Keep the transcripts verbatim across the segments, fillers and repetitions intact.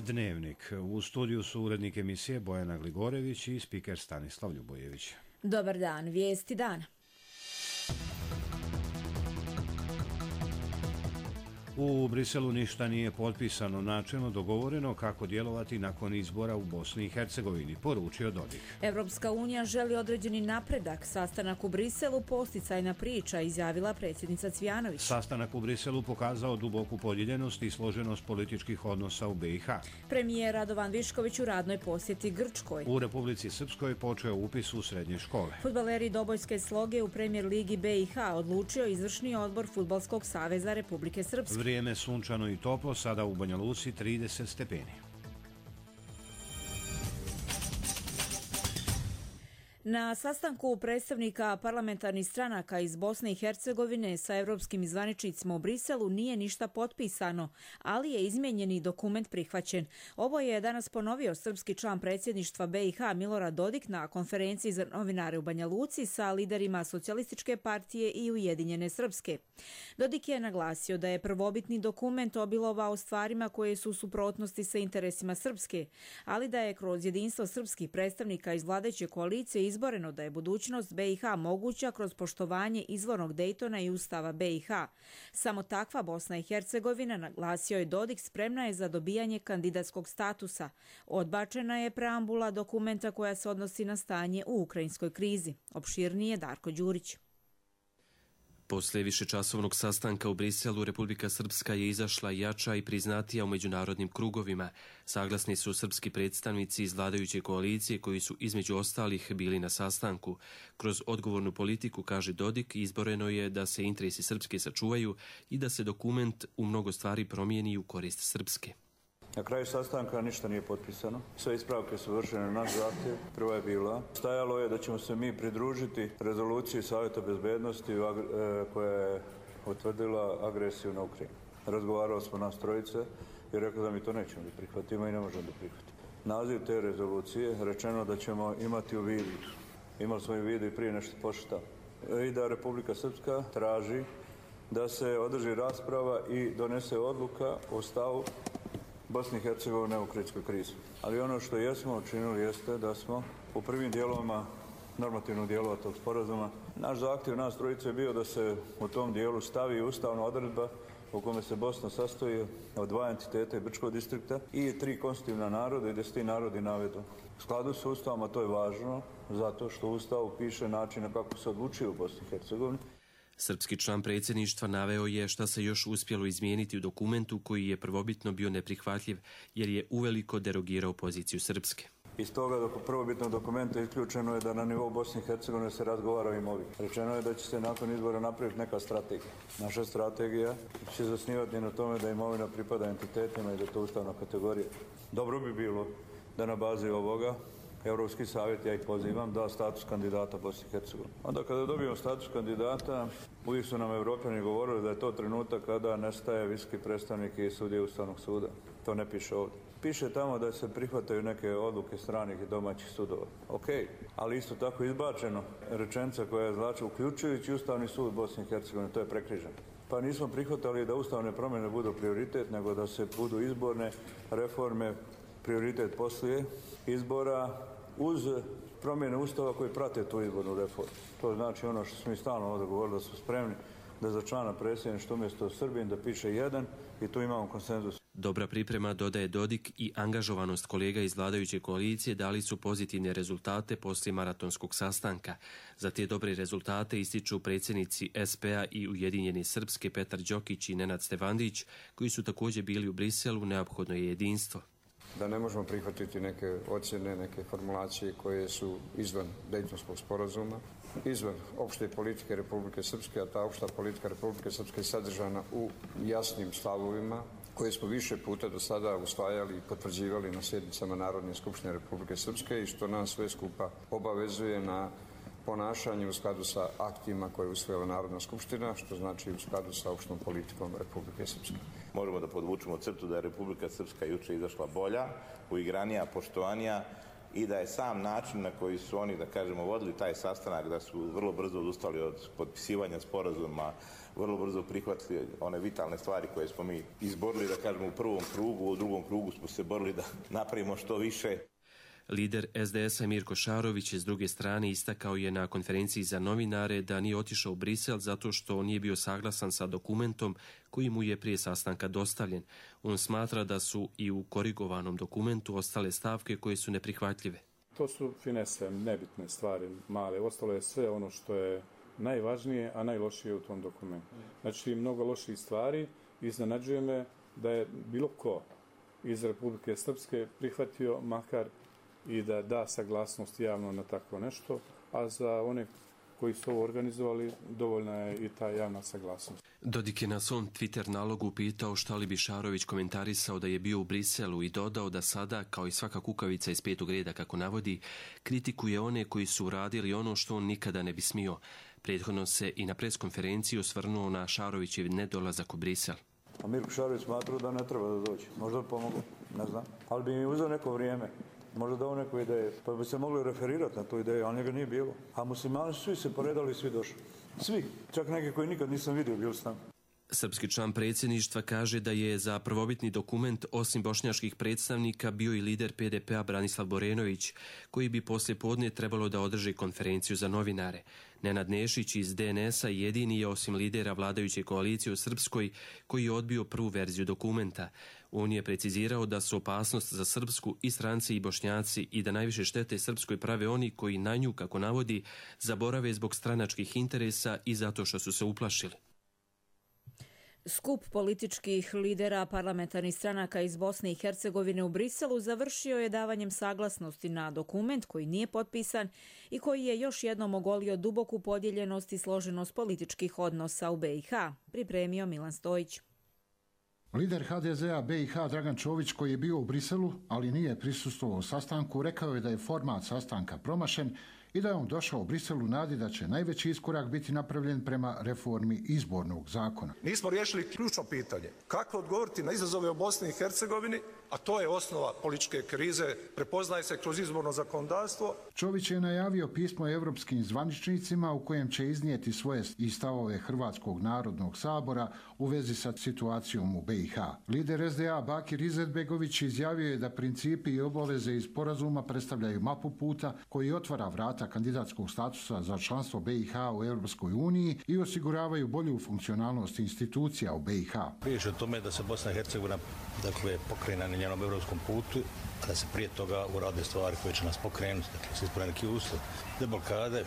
Dnevnik. U studiju su urednik emisije Bojana Gligorević i spiker Stanislav Ljubojević. Dobar dan, vijesti dana. U Briselu ništa nije potpisano, načelno dogovoreno kako djelovati nakon izbora u Bosni i Hercegovini, poručio Dodik. Evropska unija želi određeni napredak. Sastanak u Briselu posticajna priča, izjavila predsjednica Cvjanović. Sastanak u Briselu pokazao duboku podijeljenost i složenost političkih odnosa u B i H. Premijer Radovan Višković u radnoj posjeti Grčkoj. U Republici Srpskoj počeo upis u srednje škole. Fudbaleri Dobojske Sloge u Premijer ligi B i H odlučio izvršni odbor Fudbalskog saveza Republike Srpske. Vrijeme sunčano i toplo, sada u Banja Luci trideset stepeni. Na sastanku predstavnika parlamentarnih stranaka iz Bosne i Hercegovine sa europskim zvaničnicima u Briselu nije ništa potpisano, ali je izmijenjeni dokument prihvaćen. Ovo je danas ponovio srpski član predsjedništva B i H Milorad Dodik na konferenciji za novinare u Banja Luci sa liderima Socijalističke partije i Ujedinjene Srpske. Dodik je naglasio da je prvobitni dokument obilovao stvarima koje su u suprotnosti sa interesima Srpske, ali da je kroz jedinstvo srpskih predstavnika iz vladajuće koalicije izboreno da je budućnost B i H moguća kroz poštovanje izvornog Dejtona i Ustava B i H. Samo takva Bosna i Hercegovina, naglasio je Dodik, spremna je za dobijanje kandidatskog statusa. Odbačena je preambula dokumenta koja se odnosi na stanje u ukrajinskoj krizi. Opširnije Darko Đurić. Poslije višečasovnog sastanka u Briselu, Republika Srpska je izašla jača i priznatija u međunarodnim krugovima. Saglasni su srpski predstavnici iz vladajuće koalicije koji su između ostalih bili na sastanku. Kroz odgovornu politiku, kaže Dodik, izboreno je da se interesi Srpske sačuvaju i da se dokument u mnogo stvari promijeni u korist Srpske. Na kraju sastanka ništa nije potpisano. Sve ispravke su vršene na naš zahtjev. Prva je bila. Stajalo je da ćemo se mi pridružiti rezoluciji Savjeta bezbednosti koja je utvrdila agresiju na Ukrajinu. Razgovarali smo nas trojice i rekao da mi to nećemo da prihvatimo i ne možemo da prihvatimo. Naziv te rezolucije rečeno da ćemo imati u vidu. Imali smo i u vidu i prije nešto pošta. I da Republika Srpska traži da se održi rasprava i donese odluka o stavu Bosne i Hercegovine u ukrajinskoj krizi. Ali ono što jesmo učinili jeste da smo u prvim dijelovima normativnog dijelova tog sporazuma, naš zahtjev nas trojice je bio da se u tom dijelu stavi ustavna odredba u kome se Bosna sastoji od dva entiteta i Brčkog distrikta i tri konstitutivna naroda i da se ti narodi navedu. U skladu s Ustavom, a to je važno, zato što u Ustavu piše način kako se odlučuje u Bosni i Hercegovini. Srpski član predsjedništva naveo je šta se još uspjelo izmijeniti u dokumentu koji je prvobitno bio neprihvatljiv jer je uveliko derogirao poziciju Srpske. Iz toga dok prvobitnog dokumenta isključeno je da na nivou Bosne i Hercegovine se razgovara o imovini. Rečeno je da će se nakon izbora napraviti neka strategija. Naša strategija će zasnivati na tome da imovina pripada entitetima i da je to ustavna kategorija. Dobro bi bilo da na bazi ovoga Europski savjet, ja ih pozivam, da status kandidata Bosne i Hercegovine. Onda kada dobijemo status kandidata, uvijek su nam Evropljani govorili da je to trenutak kada nestaje visoki predstavnik i sudije Ustavnog suda. To ne piše ovdje. Piše tamo da se prihvataju neke odluke stranih i domaćih sudova. Ok, ali isto tako izbačeno rečenica koja je znači uključujući Ustavni sud Bosne i Hercegovine, to je prekriženo. Pa nismo prihvatali da ustavne promjene budu prioritet, nego da se budu izborne reforme prioritet poslije izbora uz promjene Ustava koji prate tu izbornu reformu. To znači ono što smo mi stalno ovdje govorili, da su spremni da za člana predsjedništva umjesto Srbin da piše jedan i tu imamo konsenzus. Dobra priprema, dodaje Dodik, i angažovanost kolega iz vladajuće koalicije dali su pozitivne rezultate poslije maratonskog sastanka. Za te dobre rezultate ističu predsjednici S P A i Ujedinjene Srpske Petar Đokić i Nenad Stevandić, koji su također bili u Briselu. Neophodno je jedinstvo. Da ne možemo prihvatiti neke ocjene, neke formulacije koje su izvan Dejtonskog sporazuma, izvan opšte politike Republike Srpske, a ta opšta politika Republike Srpske je sadržana u jasnim stavovima koje smo više puta do sada usvajali i potvrđivali na sjednicama Narodne skupštine Republike Srpske i što nas sve skupa obavezuje na ponašanje u skladu sa aktima koje je usvojila Narodna skupština, što znači u skladu sa opštom politikom Republike Srpske. Možemo da podvučemo crtu da je Republika Srpska juče izašla bolja, uigranija, poštovanija i da je sam način na koji su oni, da kažemo, vodili taj sastanak, da su vrlo brzo odustali od potpisivanja sporazuma, vrlo brzo prihvatili one vitalne stvari koje smo mi izborili, da kažemo, u prvom krugu, u drugom krugu smo se borili da napravimo što više. Lider es de es-a Mirko Šarović s druge strane istakao je na konferenciji za novinare da nije otišao u Brisel zato što nije bio saglasan sa dokumentom koji mu je prije sastanka dostavljen. On smatra da su i u korigovanom dokumentu ostale stavke koje su neprihvatljive. To su finese, nebitne stvari, male. Ostalo je sve ono što je najvažnije, a najlošije u tom dokumentu. Znači, mnogo loših stvari. Iznenađuje me da je bilo ko iz Republike Srpske prihvatio makar i da da saglasnost javno na takvo nešto, a za one koji su ovo organizovali dovoljna je i ta javna saglasnost. Dodik je na svom Twitter nalogu pitao šta li bi Šarović komentarisao da je bio u Briselu i dodao da sada, kao i svaka kukavica iz petog reda kako navodi, kritikuje one koji su uradili ono što on nikada ne bi smio. Prethodno se i na preskonferenciji osvrnuo na Šarovićev nedolazak u Brisel. A Mirko Šarović smatrao da ne treba da dođe. Možda bi pomogao, ne znam. Ali bi mi uzeo neko vrijeme. Možda dao neku ideju, pa bi se mogli referirati na tu ideju, ali njega nije bilo. A muslimani svi se poredali i svi došli. Svi, čak neki koji nikad nisam vidio, bili su tamo. Srpski član predsjedništva kaže da je za prvobitni dokument osim bošnjačkih predstavnika bio i lider pe de pe-a Branislav Borenović, koji bi poslije podne trebalo da održi konferenciju za novinare. Nenad Nešić iz de en es-a jedini je osim lidera vladajuće koalicije u Srpskoj koji je odbio prvu verziju dokumenta. On je precizirao da su opasnost za Srpsku i stranci i Bošnjaci i da najviše štete Srpskoj prave oni koji na nju, kako navodi, zaborave zbog stranačkih interesa i zato što su se uplašili. Skup političkih lidera parlamentarnih stranaka iz Bosne i Hercegovine u Briselu završio je davanjem saglasnosti na dokument koji nije potpisan i koji je još jednom ogolio duboku podijeljenost i složenost političkih odnosa u be i ha, pripremio Milan Stojić. Lider ha de ze-a be i ha Dragan Čović, koji je bio u Briselu, ali nije prisustvovao sastanku, rekao je da je format sastanka promašen i da je on došao u Briselu u nadi da će najveći iskorak biti napravljen prema reformi izbornog zakona. Nismo riješili ključno pitanje. Kako odgovoriti na izazove u Bosni i Hercegovini, a to je osnova političke krize, prepoznaje se kroz izborno zakonodavstvo. Čović je najavio pismo evropskim zvaničnicima u kojem će iznijeti svoje i stavove Hrvatskog narodnog sabora u vezi sa situacijom u be i ha. Lider es de a Bakir Izetbegović izjavio je da principi i obaveze iz sporazuma predstavljaju mapu puta koji otvara vrata kandidatskog statusa za članstvo be i ha u Europskoj uniji i osiguravaju bolju funkcionalnost institucija u be i ha. Riječ je o tome da se Bosna i Hercegovina dakle, pokrene na njenom europskom putu, a da se prije toga urade stvari koje će nas pokrenuti, dakle se ispune neki uslov, deblokade,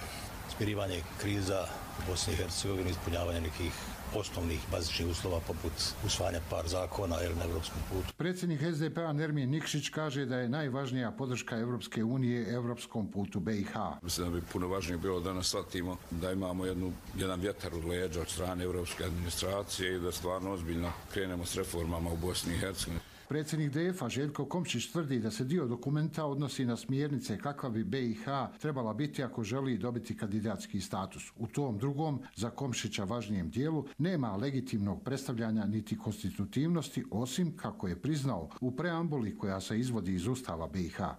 smirivanje kriza u Bosni i Hercegovini, ispunjavanje nekih osnovnih bazičnih uslova poput usvajanja par zakona ili na evropskom putu. Predsjednik es de pe-a Nermin Nikšić kaže da je najvažnija podrška Evropske unije evropskom putu be i ha. Mislim da bi puno važnije bilo da nas shvatimo da imamo jednu, jedan vjetar od leđa od strane evropske administracije i da stvarno ozbiljno krenemo s reformama u Bosni i Hercegovini. Predsjednik de ef-a Željko Komšić tvrdi da se dio dokumenta odnosi na smjernice kakva bi be i ha trebala biti ako želi dobiti kandidatski status. U tom drugom, za Komšića važnijem dijelu, nema legitimnog predstavljanja niti konstitutivnosti, osim, kako je priznao, u preambuli koja se izvodi iz Ustava be i ha.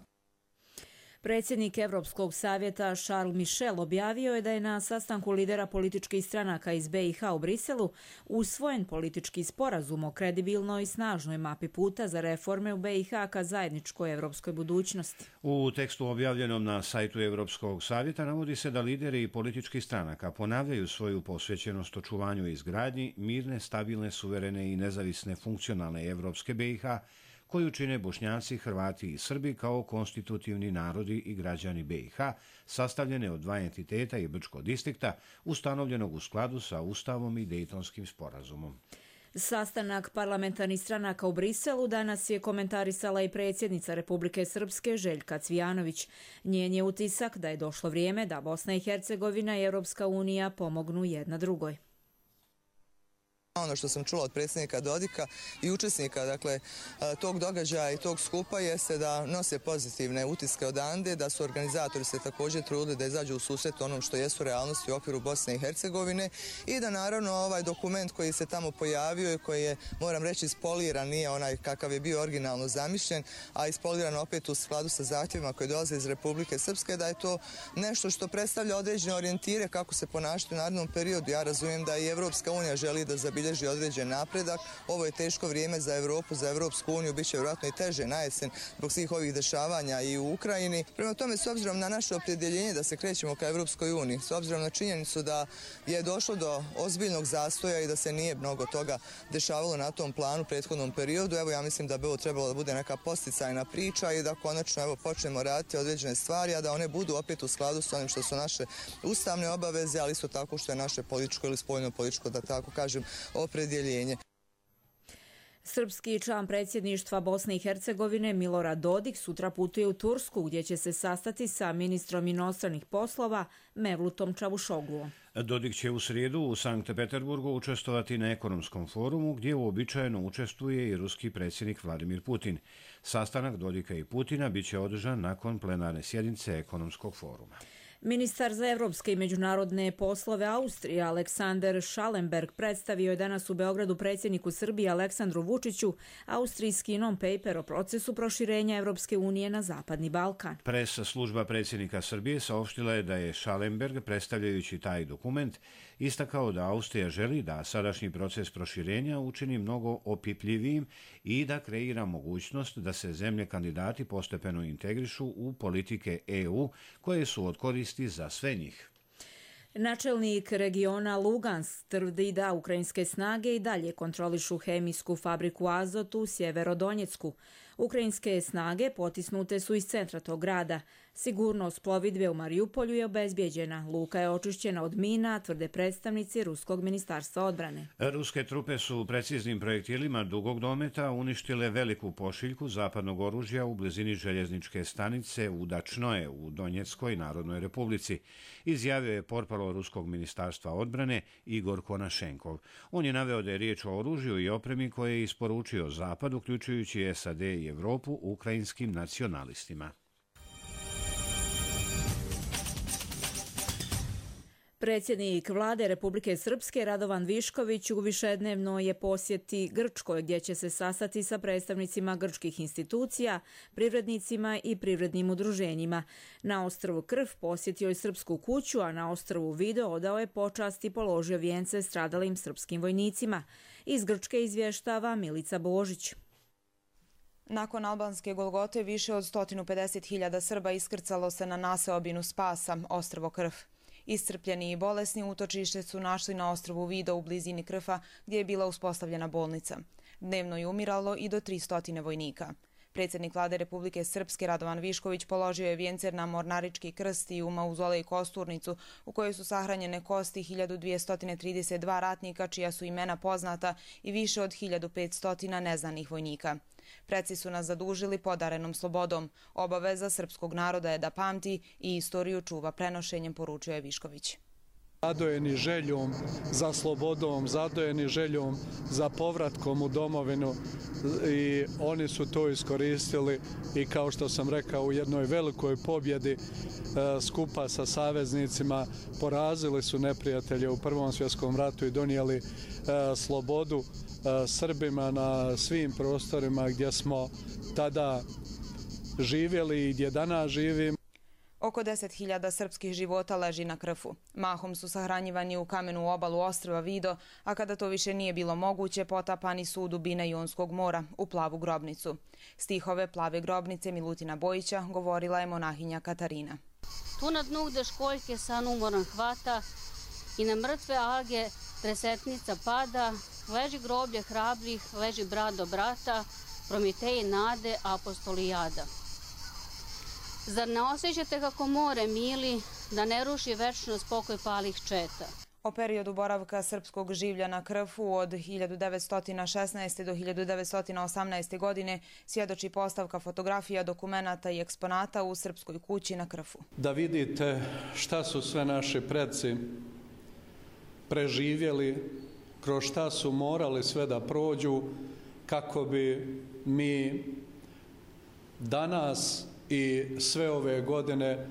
Predsjednik Evropskog savjeta Charles Michel objavio je da je na sastanku lidera političkih stranaka iz be i ha u Briselu usvojen politički sporazum o kredibilnoj i snažnoj mapi puta za reforme u be i ha ka zajedničkoj evropskoj budućnosti. U tekstu objavljenom na sajtu Evropskog savjeta navodi se da lideri političkih stranaka ponavljaju svoju posvećenost očuvanju i izgradnji mirne, stabilne, suverene i nezavisne funkcionalne evropske be i ha, koju čine Bošnjaci, Hrvati i Srbi kao konstitutivni narodi i građani be i ha, sastavljene od dva entiteta i Brčkog distrikta, ustanovljenog u skladu sa Ustavom i Dejtonskim sporazumom. Sastanak parlamentarnih stranaka u Briselu danas je komentarisala i predsjednica Republike Srpske Željka Cvijanović. Njen je utisak da je došlo vrijeme da Bosna i Hercegovina i Europska unija pomognu jedna drugoj. Ono što sam čula od predsjednika Dodika i učesnika dakle, tog događaja i tog skupa jeste da nose pozitivne utiske odande, da su organizatori se također trudili da izađu u susret onom što jesu realnosti u okviru Bosne i Hercegovine i da naravno ovaj dokument koji se tamo pojavio i koji je, moram reći, ispoliran, nije onaj kakav je bio originalno zamišljen, a ispoliran opet u skladu sa zahtjevima koji dolaze iz Republike Srpske, da je to nešto što predstavlja određene orijentire kako se ponašati u narednom periodu. Ja razumijem da i Evropska unija želi da zabilježi određen napredak. Ovo je teško vrijeme za Evropu, za Evropsku uniju, bit će vjerojatno i teže na jesen zbog svih ovih dešavanja i u Ukrajini. Prema tome, s obzirom na naše opredjeljenje da se krećemo ka Evropskoj uniji, s obzirom na činjenicu da je došlo do ozbiljnog zastoja i da se nije mnogo toga dešavalo na tom planu u prethodnom periodu, evo ja mislim da bi ovo trebalo da bude neka posticajna priča i da konačno evo počnemo raditi određene stvari, a da one budu opet u skladu s onim što su naše ustavne obaveze, ali isto tako što je naše političko ili spoljno političko, da tako kažem, opredjeljenje. Srpski član predsjedništva Bosne i Hercegovine Milorad Dodik sutra putuje u Tursku gdje će se sastati sa ministrom inostranih poslova Mevlutom Čavuşogluom. Dodik će u srijedu u Sankt Peterburgu učestvovati na ekonomskom forumu gdje uobičajeno učestvuje i ruski predsjednik Vladimir Putin. Sastanak Dodika i Putina biće održan nakon plenarne sjednice ekonomskog foruma. Ministar za evropske i međunarodne poslove Austrije Aleksander Schallenberg predstavio je danas u Beogradu predsjedniku Srbije Aleksandru Vučiću austrijski non-paper o procesu proširenja Evropske unije na Zapadni Balkan. Pres služba predsjednika Srbije saopštila je da je Schallenberg, predstavljajući taj dokument, istakao da Austrija želi da sadašnji proces proširenja učini mnogo opipljivijim i da kreira mogućnost da se zemlje kandidati postepeno integrišu u politike E U koje su od koristi za sve njih. Načelnik regiona Lugansk tvrdi da ukrajinske snage i dalje kontrolišu hemijsku fabriku Azot u Sjeverodonjecku. Ukrajinske snage potisnute su iz centra tog grada. Sigurnost plovidbe u Marijupolju je obezbijeđena. Luka je očišćena od mina, tvrde predstavnici Ruskog ministarstva odbrane. Ruske trupe su preciznim projektilima dugog dometa uništile veliku pošiljku zapadnog oružja u blizini željezničke stanice u Dačnoje u Donjeckoj Narodnoj Republici, izjavio je portparol Ruskog ministarstva odbrane Igor Konašenkov. On je naveo da je riječ o oružju i opremi koje je isporučio Zapad, uključujući S A D i Evropu, ukrajinskim nacionalistima. Predsjednik vlade Republike Srpske Radovan Višković u višednevnoj je posjeti Grčkoj gdje će se sastati sa predstavnicima grčkih institucija, privrednicima i privrednim udruženjima. Na ostrvu Krf posjetio je Srpsku kuću, a na ostrvu Vido odao je počast i položio vijence stradalim srpskim vojnicima. Iz Grčke izvještava Milica Božić. Nakon albanske Golgote više od sto pedeset hiljada Srba iskrcalo se na naseobinu Spasa, ostrvo Krf. Iscrpljeni i bolesni utočište su našli na ostrvu Vido u blizini Krfa gdje je bila uspostavljena bolnica. Dnevno je umiralo i do tristo vojnika. Predsjednik vlade Republike Srpske Radovan Višković položio je vijence na Mornarički krst i u mauzolej Kosturnicu u kojoj su sahranjene kosti hiljadu dvjesto trideset dva ratnika čija su imena poznata i više od hiljadu petsto neznanih vojnika. Preci su nas zadužili podarenom slobodom. Obaveza srpskog naroda je da pamti i istoriju čuva prenošenjem, poručio je Višković. Zadojeni željom za slobodom, zadojeni željom za povratkom u domovinu i oni su to iskoristili i kao što sam rekao u jednoj velikoj pobjedi skupa sa saveznicima porazili su neprijatelje u Prvom svjetskom ratu i donijeli slobodu Srbima na svim prostorima gdje smo tada živjeli i gdje danas živimo. Oko deset hiljada srpskih života leži na Krfu. Mahom su sahranjivani u kamenu obalu ostrva Vido, a kada to više nije bilo moguće, potapani su u dubine Jonskog mora, u plavu grobnicu. Stihove Plave grobnice Milutina Bojića govorila je monahinja Katarina. Tu na dnu gde školjke san umoran hvata i na mrtve alge tresetnica pada, leži groblje hrabrih, leži brat do brata, Prometeji nade, apostoli jada. Zar ne osjećate kako more mili, da ne ruši večno spokoj palih četa? O periodu boravka srpskog življa na Krfu od hiljadu devetsto šesnaeste. do hiljadu devetsto osamnaeste. godine svjedoči postavka fotografija, dokumenata i eksponata u Srpskoj kući na Krfu. Da vidite šta su sve naši preci preživjeli kroz šta su morali sve da prođu kako bi mi danas i sve ove godine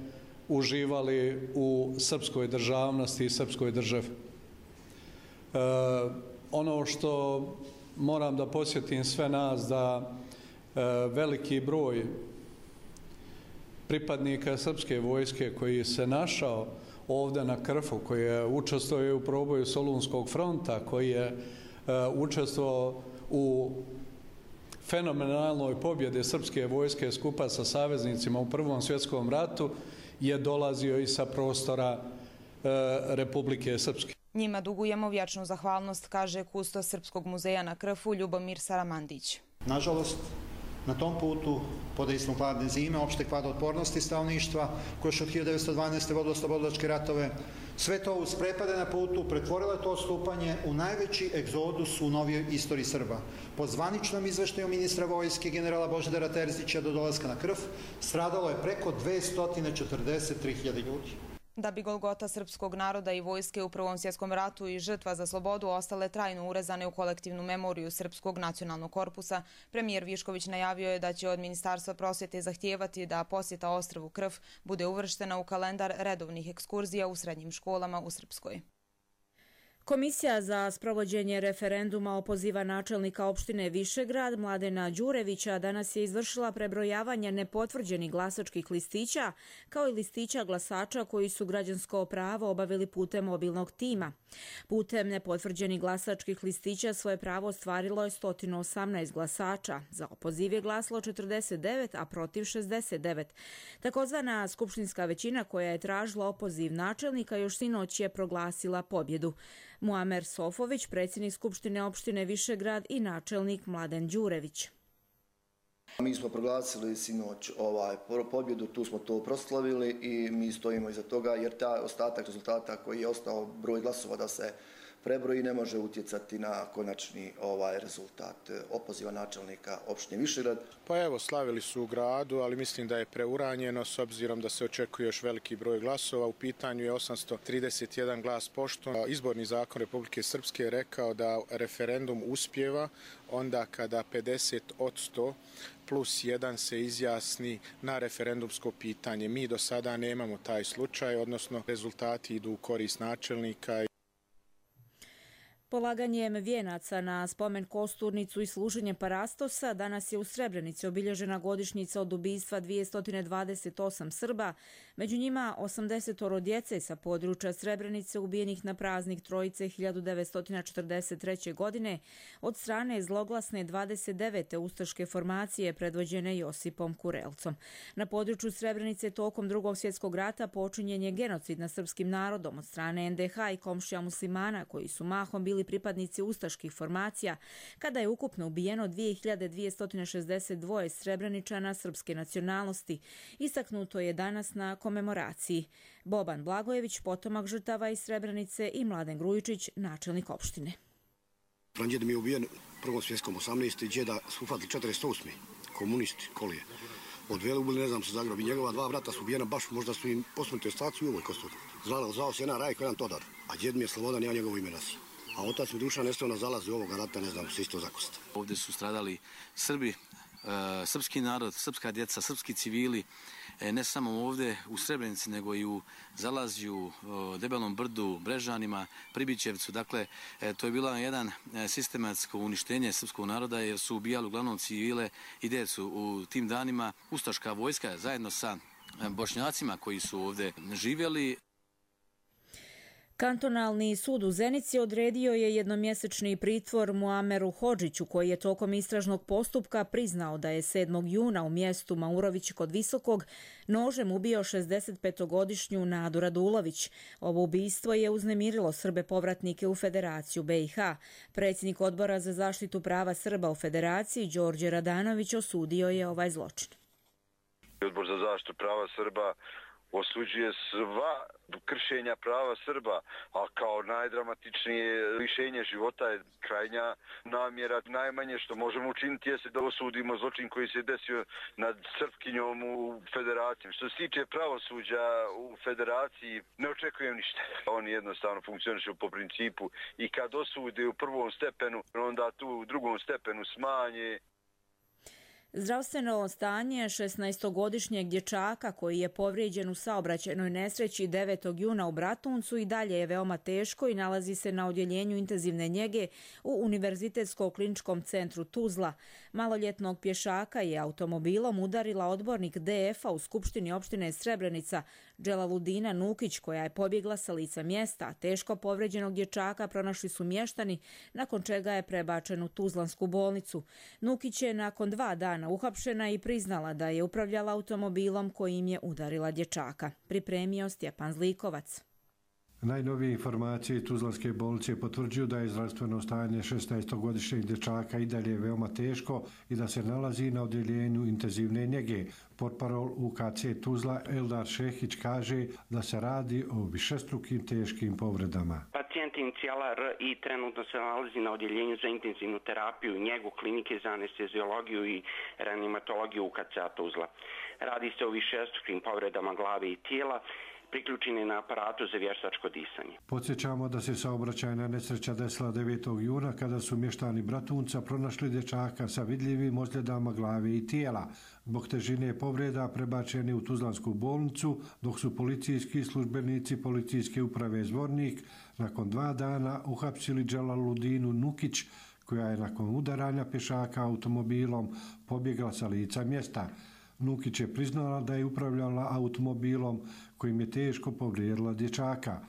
uživali u srpskoj državnosti i srpskoj državi. E, ono što moram da podsjetim sve nas da e, veliki broj pripadnika srpske vojske koji se našao ovdje na Krfu, koji je učestvovao u proboju Solunskog fronta, koji je e, učestvovao u fenomenalnoj pobjedi srpske vojske skupa sa saveznicima u Prvom svjetskom ratu, je dolazio i sa prostora e, Republike Srpske. Njima dugujemo vječnu zahvalnost, kaže kustos Srpskog muzeja na Krfu Ljubomir Saramandić. Nažalost, na tom putu, pod dejstvom hladne zime, opšte kvad otpornosti stanovništva, koje još od hiljadu devetsto dvanaeste. vodilo oslobodilačke ratove, sve to uz prepade na putu pretvorilo je to odstupanje u najveći egzodus u novijoj istoriji Srba. Po zvaničnom izveštaju ministra vojske generala Božidara Terzića do dolaska na Krf stradalo je preko dvesta četrdeset tri hiljade ljudi. Da bi golgota srpskog naroda i vojske u Prvom svjetskom ratu i žrtva za slobodu ostale trajno urezane u kolektivnu memoriju Srpskog nacionalnog korpusa, premijer Višković najavio je da će od Ministarstva prosvjete zahtijevati da posjeta ostrvu Krf bude uvrštena u kalendar redovnih ekskurzija u srednjim školama u Srpskoj. Komisija za sprovođenje referenduma opoziva načelnika opštine Višegrad Mladena Đurevića danas je izvršila prebrojavanje nepotvrđenih glasačkih listića kao i listića glasača koji su građansko pravo obavili putem mobilnog tima. Putem nepotvrđenih glasačkih listića svoje pravo ostvarilo je sto osamnaest glasača. Za opoziv je glasalo četrdeset devet, a protiv šezdeset devet. Takozvana skupštinska većina koja je tražila opoziv načelnika još sinoć je proglasila pobjedu. Muamer Sofović, predsjednik Skupštine opštine Višegrad i načelnik Mladen Đurević. Mi smo proglasili sinoć ovaj pobjedu, tu smo to proslavili i mi stojimo iza toga jer taj ostatak rezultata koji je ostao broj glasova da se prebroji ne može utjecati na konačni ovaj rezultat opoziva načelnika opštine Višegrad. Pa evo, slavili su u gradu, ali mislim da je preuranjeno s obzirom da se očekuje još veliki broj glasova. U pitanju je osamsto trideset jedan glas poštom. Izborni zakon Republike Srpske je rekao da referendum uspijeva onda kada pedeset posto plus jedan se izjasni na referendumsko pitanje. Mi do sada nemamo taj slučaj, odnosno rezultati idu u korist načelnika. Polaganjem vijenaca na spomen kosturnicu i služenjem parastosa danas je u Srebrenici obilježena godišnjica od ubistva dvjesto dvadeset osam Srba, među njima osamdeset djece sa područja Srebrenice ubijenih na praznik Trojice hiljadu devetsto četrdeset treće. godine od strane zloglasne dvadeset devete ustaške formacije predvođene Josipom Kurelcom. Na području Srebrenice tokom Drugog svjetskog rata počinjen je genocid nad srpskim narodom od strane en de ha i komšija muslimana koji su mahom bili pripadnici ustaških formacija, kada je ukupno ubijeno dvije hiljade dvjesto šezdeset dva Srebreničana srpske nacionalnosti. Istaknuto je danas na komemoraciji. Boban Blagojević, potomak žrtava iz Srebrenice, i Mladen Grujičić, načelnik opštine. Pranđeda mi je ubijen u Prvom svjetskom osamnaeste. Džeda su ufatili četrdeset osme komunisti kolije. Odveli ubili, ne znam, se Zagreb. I njegova dva brata su ubijena, baš možda su im posmrtni ostaci u ovoj kosturi. Zvao, zvao se jedan Rajko, jedan Todor, a djed mi je Slobodan, ja njegovo ime nosim. A otac mi Dušan nestao na zalazu ovoga rata, ne znam, se isto zakosta. Ovdje su stradali Srbi, srpski narod, srpska djeca, srpski civili, ne samo ovdje u Srebrenici, nego i u Zalazju, Debelom brdu, Brežanima, Pribićevcu. Dakle, to je bilo jedan sistematsko uništenje srpskog naroda jer su ubijali uglavnom civile i djecu. U tim danima ustaška vojska zajedno sa Bošnjacima koji su ovdje živjeli. Kantonalni sud u Zenici odredio je jednomjesečni pritvor Muameru Hodžiću, koji je tokom istražnog postupka priznao da je sedmog juna u mjestu Maurović kod Visokog nožem ubio šezdesetpetogodišnju Nadu Radulović. Ovo ubistvo je uznemirilo Srbe povratnike u Federaciju be i ha. Predsjednik Odbora za zaštitu prava Srba u Federaciji, Đorđe Radanović, osudio je ovaj zločin. Odbor za zaštitu prava Srba osuđuje sva kršenja prava Srba, a kao najdramatičnije lišenje života je krajnja namjera. Najmanje što možemo učiniti jeste da osudimo zločin koji se desio nad Srpkinjom u Federaciji. Što se tiče pravosuđa u Federaciji, ne očekujem ništa. Oni jednostavno funkcionišu po principu i kad osude u prvom stepenu, onda tu u drugom stepenu smanje. Zdravstveno stanje šesnaestogodišnjeg dječaka koji je povrijeđen u saobraćajnoj nesreći devetog juna u Bratuncu i dalje je veoma teško i nalazi se na odjeljenju intenzivne njege u Univerzitetskom kliničkom centru Tuzla. Maloljetnog pješaka je automobilom udarila odbornik D F-a u Skupštini opštine Srebrenica Dželaludina Nukić, koja je pobjegla sa lica mjesta. Teško povrijeđenog dječaka pronašli su mještani, nakon čega je prebačen u Tuzlansku bolnicu. Nukić je nakon dva dana uhapšena i priznala da je upravljala automobilom kojim je udarila dječaka. Pripremio Stjepan Zlikovac. Najnovije informacije Tuzlanske bolnice potvrđuju da je zdravstveno stanje šesnaestogodišnjeg dječaka i dalje veoma teško i da se nalazi na odjeljenju intenzivne njege. Portparol U K C Tuzla Eldar Šehić kaže da se radi o višestrukim teškim povredama. Pacijent inicijala R I trenutno se nalazi na odjeljenju za intenzivnu terapiju i njegu klinike za anesteziologiju i reanimatologiju U K C Tuzla. Radi se o višestrukim povredama glave i tijela, priključeni na aparatu za vještačko disanje. Podsjećamo da se saobraćajna nesreća desila devetog juna kada su mještani Bratunca pronašli dječaka sa vidljivim ozljedama glave i tijela. Zbog težine povreda prebačeni u Tuzlansku bolnicu, dok su policijski službenici policijske uprave Zvornik nakon dva dana uhapsili Dželaludinu Nukić, koja je nakon udaranja pješaka automobilom pobjegla sa lica mjesta. Nukić je priznala da je upravljala automobilom kojim je teško povrijedila dječaka.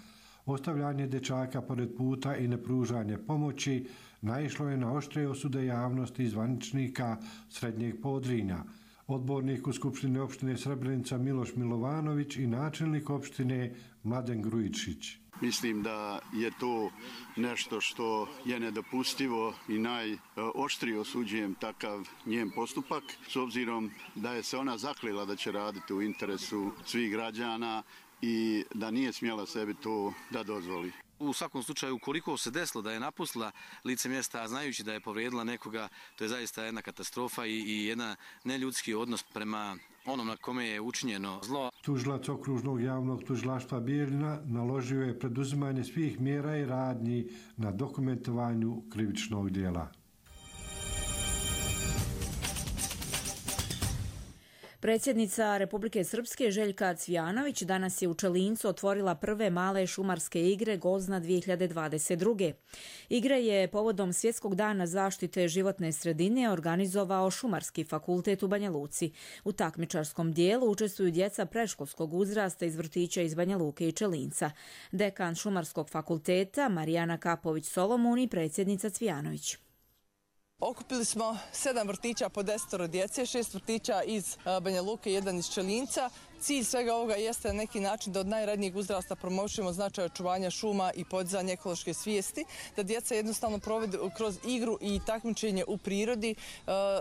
Ostavljanje dječaka pored puta i nepružanje pomoći naišlo je na oštre osude javnosti i zvaničnika Srednjeg Podrinja. Odbornik u Skupštini opštine Srebrenica Miloš Milovanović i načelnik opštine Mladen Grujičić. Mislim da je to nešto što je nedopustivo i najoštrije osuđujem takav njen postupak, s obzirom da je se ona zaklila da će raditi u interesu svih građana i da nije smjela sebi to da dozvoli. U svakom slučaju, koliko se desilo da je napustila lice mjesta, znajući da je povrijedila nekoga, to je zaista jedna katastrofa i, i jedna neljudski odnos prema onom na kome je učinjeno zlo. Tužilac okružnog javnog tužilaštva Bijeljina naložio je preduzimanje svih mjera i radnji na dokumentovanju krivičnog djela. Predsjednica Republike Srpske Željka Cvijanović danas je u Čelincu otvorila prve male šumarske igre Gozna dvije hiljade dvadeset druge. Igre je povodom Svjetskog dana zaštite životne sredine organizovao Šumarski fakultet u Banja Luci. U takmičarskom dijelu učestvuju djeca predškolskog uzrasta iz vrtića iz Banja Luke i Čelinca. Dekan Šumarskog fakulteta Marijana Kapović-Solomon i predsjednica Cvijanović. Okupili smo sedam vrtića po desetoro djece, šest vrtića iz Banja Luke i jedan iz Čelinca. Cilj svega ovoga jeste na neki način da od najranijeg uzrasta promovišemo značaj očuvanja šuma i podizanja ekološke svijesti, da djeca jednostavno provedu kroz igru i takmičenje u prirodi,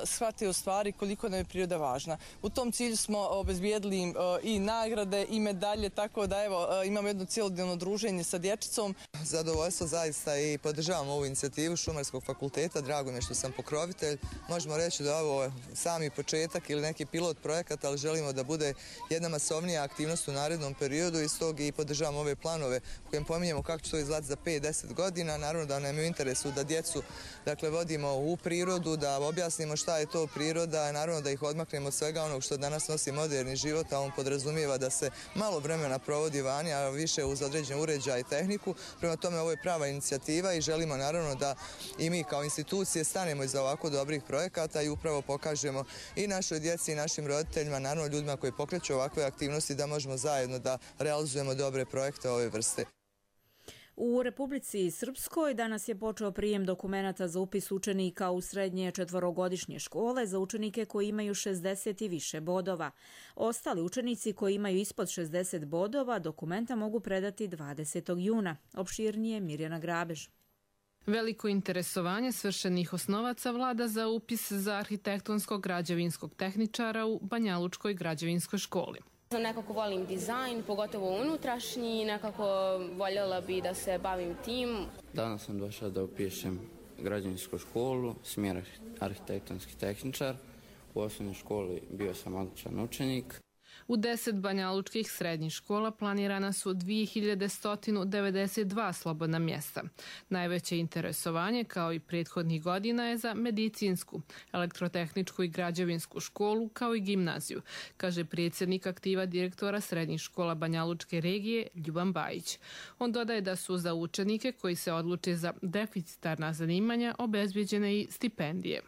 shvate u stvari koliko nam je priroda važna. U tom cilju smo obezbijedili im i nagrade i medalje, tako da evo imamo jedno cijelodnevno druženje sa dječicom. Zadovoljstvo zaista i podržavam ovu inicijativu Šumarskog fakulteta, drago mi je što sam pokrovitelj. Možemo reći da ovo je sami početak ili neki pilot projekat, ali želimo da bude jedna masovnija aktivnost u narednom periodu i stog i podržavamo ove planove u kojem pominjemo kako će to izgledati za pet do deset godina. Naravno da nam je u interesu da djecu dakle, vodimo u prirodu, da objasnimo šta je to priroda, naravno da ih odmaknemo od svega onog što danas nosi moderni život, a on podrazumijeva da se malo vremena provodi vani, a više uz određen uređaj i tehniku. Prema tome ovo je prava inicijativa i želimo naravno da i mi kao institucije stanemo iza ovako dobrih projekata i upravo pokažemo i našoj djeci i našim roditeljima, naravno ljudima koji pokreću ovakve aktivnosti, da možemo zajedno da realizujemo dobre projekte ove vrste. U Republici Srpskoj danas je počeo prijem dokumenata za upis učenika u srednje četvorogodišnje škole za učenike koji imaju šezdeset i više bodova. Ostali učenici koji imaju ispod šezdeset bodova dokumenta mogu predati dvadesetog juna. Opširnije Mirjana Grabež. Veliko interesovanje svršenih osnovaca vlada za upis za arhitektonskog građevinskog tehničara u Banjalučkoj građevinskoj školi. Nekako volim dizajn, pogotovo unutrašnji, nekako voljela bi da se bavim tim. Danas sam došao da upišem građevinsku školu, smjer arhitektonski tehničar. U osnovnoj školi bio sam odličan učenik. U deset banjalučkih srednjih škola planirana su dvije hiljade sto devedeset dva slobodna mjesta. Najveće interesovanje, kao i prethodnih godina, je za medicinsku, elektrotehničku i građevinsku školu, kao i gimnaziju, kaže predsjednik aktiva direktora srednjih škola Banjalučke regije Ljuban Bajić. On dodaje da su za učenike koji se odluče za deficitarna zanimanja obezbjeđene i stipendije.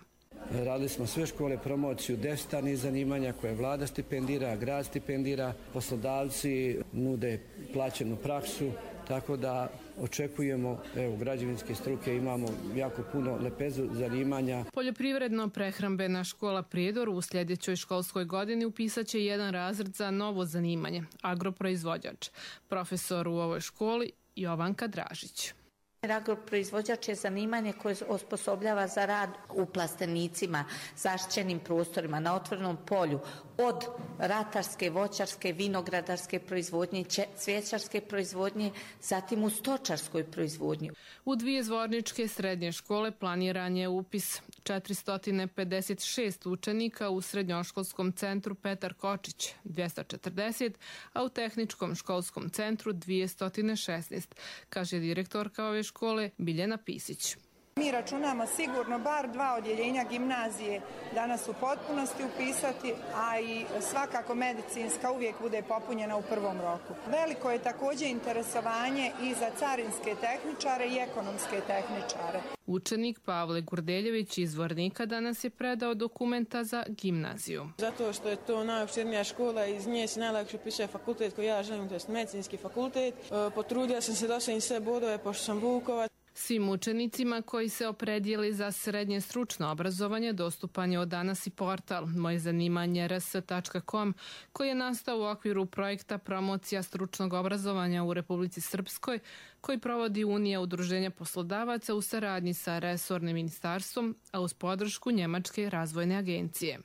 Radili smo sve škole promociju deficitarnih zanimanja koje vlada stipendira, grad stipendira, poslodavci nude plaćenu praksu, tako da očekujemo, evo, građevinske struke imamo jako puno lepezu zanimanja. Poljoprivredno-prehrambena škola Prijedor u sljedećoj školskoj godini upisat će jedan razred za novo zanimanje, agroproizvođač. Profesor u ovoj školi Jovanka Dražić. Agroproizvođač je zanimanje koje osposobljava za rad u plastenicima, zaštićenim prostorima, na otvorenom polju, od ratarske, voćarske, vinogradarske proizvodnje, cvjećarske proizvodnje, zatim u stočarskoj proizvodnji. U dvije zvorničke srednje škole planiran je upis četiristo pedeset šest učenika u srednjoškolskom centru Petar Kočić dvjesto četrdeset, a u tehničkom školskom centru dvjesto šesnaest, kaže direktorka ove škole Biljana Pisić. Mi računamo sigurno bar dva odjeljenja gimnazije danas u potpunosti upisati, a i svakako medicinska uvijek bude popunjena u prvom roku. Veliko je također interesovanje i za carinske tehničare i ekonomske tehničare. Učenik Pavle Gurdeljević iz Zvornika danas je predao dokumenta za gimnaziju. Zato što je to najopširnija škola, iz nje se najlakše upisuje fakultet koji ja želim, to je medicinski fakultet. Potrudio sam se da sam i sve bodove, pošto sam Vukovac. Svim učenicima koji se opredijeli za srednje stručno obrazovanje dostupan je od danas i portal moje zanimanje r s tačka com koji je nastao u okviru projekta Promocija stručnog obrazovanja u Republici Srpskoj koji provodi Unija udruženja poslodavaca u saradnji sa resornim ministarstvom, a uz podršku Njemačke razvojne agencije.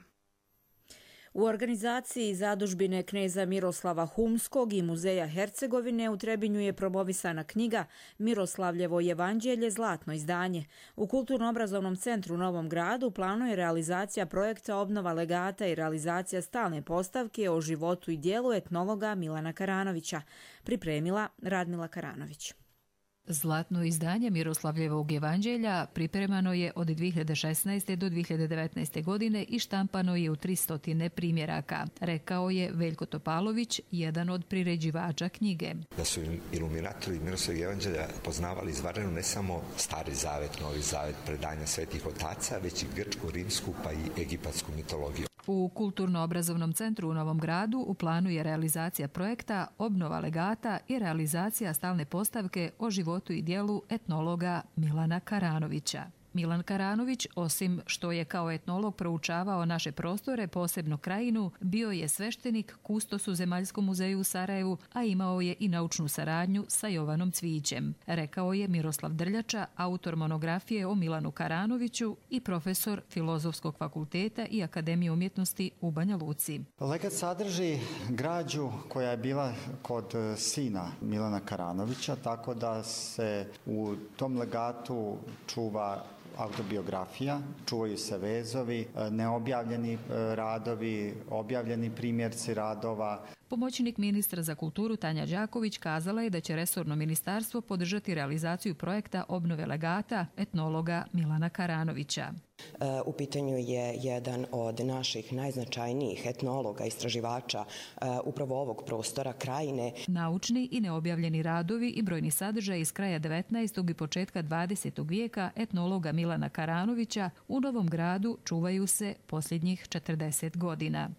U organizaciji zadužbine kneza Miroslava Humskog i Muzeja Hercegovine u Trebinju je promovisana knjiga Miroslavljevo evanđelje zlatno izdanje. U Kulturno-obrazovnom centru u Novom Gradu planuje realizacija projekta obnova legata i realizacija stalne postavke o životu i dijelu etnologa Milana Karanovića, pripremila Radmila Karanović. Zlatno izdanje Miroslavljevog evanđelja pripremano je od dvije hiljade šesnaeste. do dvije hiljade devetnaeste. godine i štampano je u tristo primjeraka, rekao je Veljko Topalović, jedan od priređivača knjige. Da su iluminatori Miroslavljevog evanđelja poznavali izvanredno ne samo Stari zavet, Novi zavet, predanja svetih otaca, već i grčku, rimsku pa i egipatsku mitologiju. U Kulturno-obrazovnom centru u Novom Gradu u planu je realizacija projekta obnova legata i realizacija stalne postavke o životu i dijelu etnologa Milana Karanovića. Milan Karanović, osim što je kao etnolog proučavao naše prostore, posebno krajinu, bio je sveštenik, kustos u Zemaljskom muzeju u Sarajevu, a imao je i naučnu saradnju sa Jovanom Cvijićem, rekao je Miroslav Drljača, autor monografije o Milanu Karanoviću i profesor Filozofskog fakulteta i Akademije umjetnosti u Banja Luci. Legat sadrži građu koja je bila kod sina Milana Karanovića, tako da se u tom legatu čuva autobiografija, čuvaju se vezovi, neobjavljeni radovi, objavljeni primjerci radova. Pomoćnik ministra za kulturu Tanja Đaković kazala je da će resorno ministarstvo podržati realizaciju projekta obnove legata etnologa Milana Karanovića. U pitanju je jedan od naših najznačajnijih etnologa, istraživača upravo ovog prostora, krajine. Naučni i neobjavljeni radovi i brojni sadržaj iz kraja devetnaestog i početka dvadesetog vijeka etnologa Milana Karanovića u Novom Gradu čuvaju se posljednjih četrdeset godina.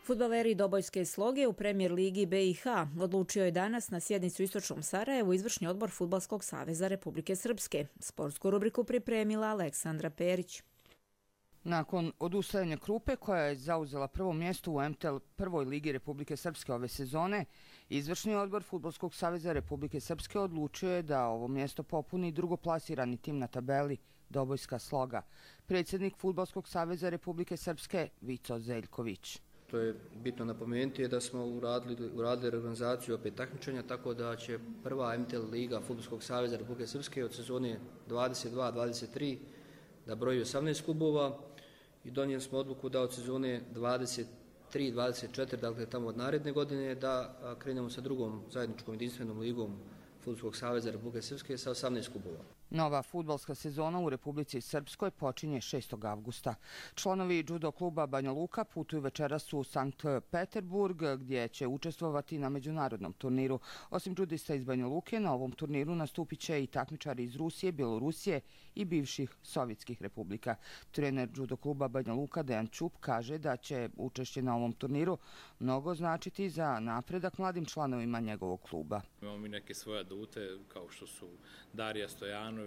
Fudbaleri Dobojske sloge u Premijer ligi B i H odlučio je danas na sjednicu u Istočnom Sarajevu izvršni odbor Fudbalskog saveza Republike Srpske. Sportsku rubriku pripremila Aleksandra Perić. Nakon odustajanja Krupe, koja je zauzela prvo mjesto u M T L prvoj ligi Republike Srpske ove sezone, izvršni odbor Fudbalskog saveza Republike Srpske odlučio je da ovo mjesto popuni drugoplasirani tim na tabeli Dobojska sloga. Predsjednik Fudbalskog saveza Republike Srpske Vico Zeljković. To je bitno napomenuti je da smo uradili, uradili reorganizaciju opet takmičenja, tako da će prva M T L liga Fudbalskog saveza Republike Srpske od sezone dvadeset dva dvadeset tri da broji osamnaest klubova i donijeli smo odluku da od sezone dvadeset tri dvadeset četiri, dakle tamo od naredne godine, da krenemo sa drugom zajedničkom jedinstvenom ligom Fudbalskog saveza Republike Srpske sa osamnaest klubova. Nova fudbalska sezona u Republici Srpskoj počinje šestog avgusta. Članovi judo kluba Banja Luka putuju večeras u Sankt Peterburg, gdje će učestvovati na međunarodnom turniru. Osim judista iz Banja Luke, na ovom turniru nastupit će i takmičari iz Rusije, Bjelorusije i bivših sovjetskih republika. Trener judo kluba Banja Luka Dejan Čup kaže da će učešće na ovom turniru mnogo značiti za napredak mladim članovima njegovog kluba. Imamo mi neke svoje adute kao što su Darija Stojanović,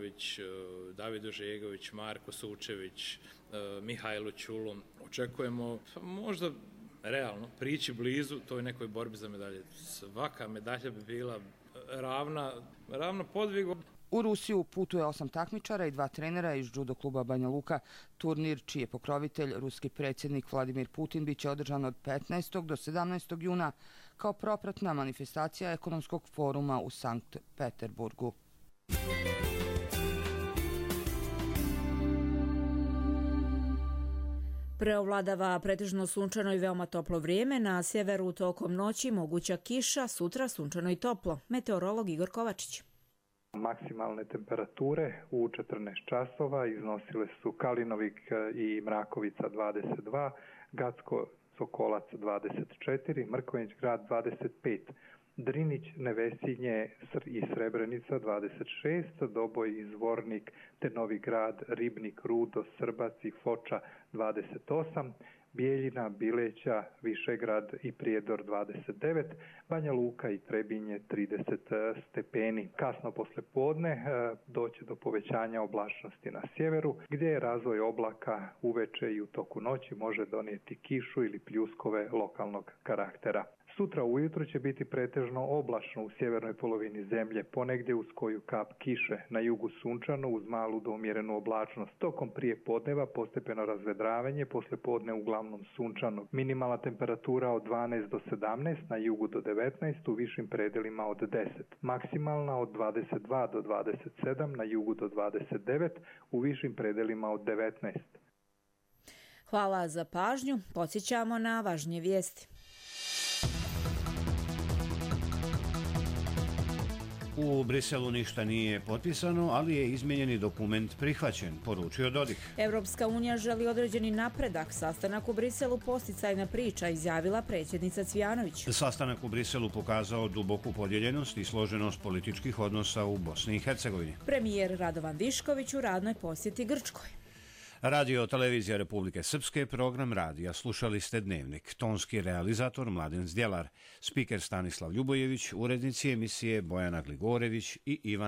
David Ožegović, Marko Sučević, Mihajlo Čulo. Očekujemo možda realno prići blizu toj nekoj borbi za medalje. Svaka medalja bi bila ravna, ravna podvigu. U Rusiju putuje osam takmičara i dva trenera iz judo kluba Banja Luka. Turnir, čiji je pokrovitelj ruski predsjednik Vladimir Putin, bit će održan od petnaestog do sedamnaestog juna kao propratna manifestacija ekonomskog foruma u Sankt Peterburgu. Preovladava pretežno sunčano i veoma toplo vrijeme, na sjeveru tokom noći moguća kiša, sutra sunčano i toplo. Meteorolog Igor Kovačić. Maksimalne temperature u četrnaest časova iznosile su Kalinovik i Mrakovica dvadeset dva, Gacko Sokolac dvadeset četiri, Mrkonjić grad dvadeset pet, Drinić, Nevesinje i Srebrenica dvadeset šest, Doboj i Zvornik te Novi grad, Ribnik, Rudo, Srbac i Foča dvadeset osam, Bijeljina, Bileća, Višegrad i Prijedor dvadeset devet, Banja Luka i Trebinje trideset stepeni. Kasno poslijepodne doće do povećanja oblačnosti na sjeveru, gdje je razvoj oblaka uveče i u toku noći može donijeti kišu ili pljuskove lokalnog karaktera. Sutra ujutro će biti pretežno oblačno u sjevernoj polovini zemlje, ponegdje uz koju kap kiše, na jugu sunčano uz malu do umjerenu oblačnost. Tokom prije podneva postepeno razvedravanje, poslijepodne uglavnom sunčano. Minimalna temperatura od dvanaest do sedamnaest, na jugu do devetnaest, u višim predelima od deset. Maksimalna od dvadeset dva do dvadeset sedam, na jugu do dvadeset devet, u višim predelima od devetnaest. Hvala za pažnju. Podsjećamo na važnije vijesti. U Briselu ništa nije potpisano, ali je izmijenjeni dokument prihvaćen, poručio Dodik. Evropska unija želi određeni napredak. Sastanak u Briselu posticajna priča, izjavila predsjednica Cvijanović. Sastanak u Briselu pokazao duboku podijeljenost i složenost političkih odnosa u Bosni i Hercegovini. Premijer Radovan Višković u radnoj posjeti Grčkoj. Radio televizija Republike Srpske, program radija. Slušali ste Dnevnik. Tonski realizator Mladen Zdjelar, spiker Stanislav Ljubojević, urednici emisije Bojana Gligorević i Ivana